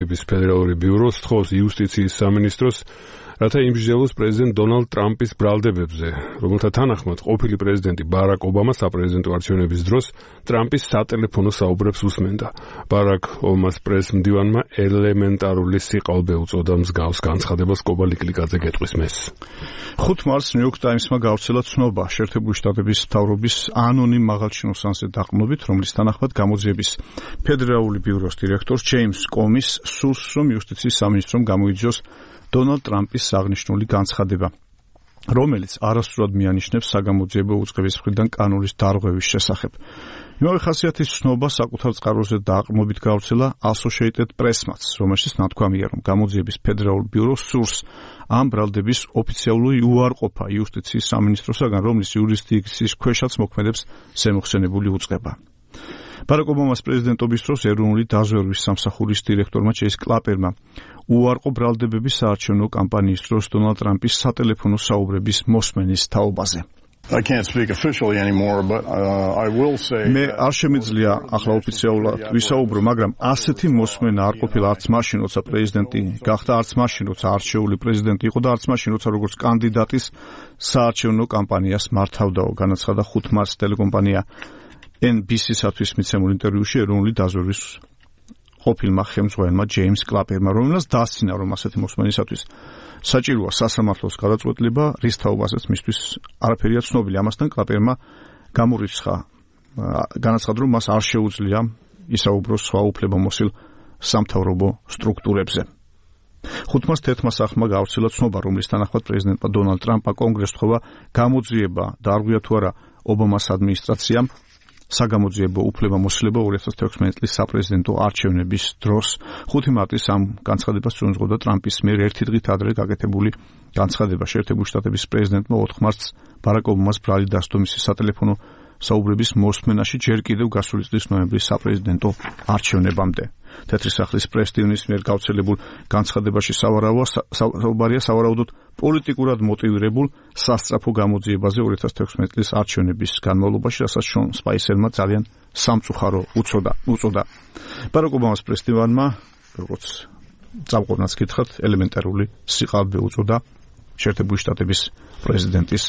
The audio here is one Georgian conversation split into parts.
ფედერალური ბიუროს თხოვს იუსტიციის სამინისტროს, რათა იმსჯელოს პრეზიდენტ დონალდ ტრამპის ბრალდებებზე, რომელთა თანახმად ყოფილი პრეზიდენტი ბარაკ ობამა საპრეზიდენტო არჩევნების დროს ტრამპის სატელეფონო საუბრებს უსმენდა. ბარაკ ობამას პრეს-მდივანმა ელემენტარული სიყალბე უწოდა მსგავს განცხადებას კობა ლიკლიკაძე გეტყვის მეს. 5 მარტს New York Times-მა გავრცელა ცნობა შეერთებული შტატების მთავრობის ანონიმ მაღალჩინოსანზე დაყრდნობით, რომლის თანახმად გამოძიების ფედერალური ბიუროს დირექტორს ჯეიმს კომის სურს, რომ იუსტიციის სამინისტრომ გამოიძიოს დონალდ ტრამპის აღნიშნული განცხადება, რომელიც არასწორად მიანიშნებს საგამოძიებო უწყების მხრიდან კანონის დარღვევის შესახებ. იმავე ხასიათის ცნობა საკუთარ წყაროზე დაყრდნობით გავრცელა Associated Press-მაც, რომელშიც ნათქვამია, რომ გამოძიების ფედერალურ ბიუროს სურს ამ ბრალდების ოფიციალური უარყოფა იუსტიციის სამინისტროსაგან, რომლის იურისდიქციის ქვეშაც მოქმედებს ზემოხსენებული უწყება. ბარაკ ობამას პრეზიდენტობის დროს ეროვნული დაზვერვის სამსახურის დირექტორმა ჩეის კლაპერმა უარყო ბრალდებები საარჩევნო კამპანიის დროს დონალდ ტრამპის სატელეფონო საუბრების მოსმენის თაობაზე. მე არ შემიძლია ახლა ოფიციალურად ვისაუბრო, მაგრამ ასეთი მოსმენა არ ყოფილა არც მაშინ, როცა პრეზიდენტი გახდა, არც მაშინ, როცა არჩეული პრეზიდენტი იყო და არც მაშინ, როცა როგორც კანდიდატის საარჩევნო კამპანიას მართავდაო, განაცხადა 5 მარტს ტელეკომპანია NBC-სათვის მიცემულ ინტერვიუში ეროვნული დაზვერვის ყოფილმა ხელმძღვანელმა ჯეიმს კლაპერმა, რომელსაც დასცინა, რომ ასეთი მოსმენისათვის საჭიროა სასამართლოს გადაწყვეტილება, რის თაობასაც მისთვის არაფერია ცნობილი. ამასთან კლაპერმა გამორიცხა, განაცხადა, რომ მას არ შეუძლია ისაუბროს სხვა უფლებამოსილ სამთავრობო სტრუქტურებზე. 5 მარტს თეთრმა სახლმა გავრცელა ცნობა, რომლის თანახმად პრეზიდენტმა დონალდ ტრამპმა კონგრესს თხოვა გამოძიება დაარღვია თუ არა ობამას ადმინისტრაციამ საგამოძიებო უფლებამოსილება 2016 წლის საპრეზიდენტო არჩევნების დროს. 5 მარტის ამ განცხადებას წუნზღოდა ტრამპის მიერ ერთი დღით ადრე გაკეთებული განცხადება. შეერთებული შტატების პრეზიდენტმა 4 მარტს ბარაკ ობამას ბრალი დასდო მისი სატელეფონო საუბრების მოსმენაში ჯერ კიდევ გასული წლის ნოემბრის საპრეზიდენტო არჩევნებამდე. თეთრი სახლის პრეს-ტივნის მიერ გავრცელებულ განცხადებაში საუბარია სავარაუდოდ პოლიტიკურად მოტივირებულ სასწრაფო გამოძიებაზე 2016 წლის არჩევნების განმავლობაში, რასაც შონ სპაისერმა ძალიან სამწუხარო უწოდა. ბარაკ ობამას პრეს-ტივანმა, როგორც წამყვანაც გითხრათ, ელემენტარული სიყალბე უწოდა შეერთებული შტატების პრეზიდენტის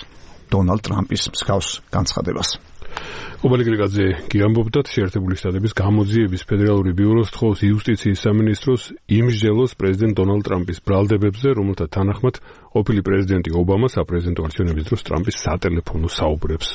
დონალდ ტრამპის მსგავს განცხადებას. კობა ლიკლიკაძე გიამბობდათ, შეერთებული შტატების გამოძიების ფედერალური ბიუროს თხოვს იუსტიციის სამინისტროს იმსჯელოს პრეზიდენტ დონალდ ტრამპის ბრალდებებზე, რომელთა თანახმად ყოფილი პრეზიდენტი ობამა საპრეზიდენტო არჩევნების დროს ტრამპის სატელეფონო საუბრებს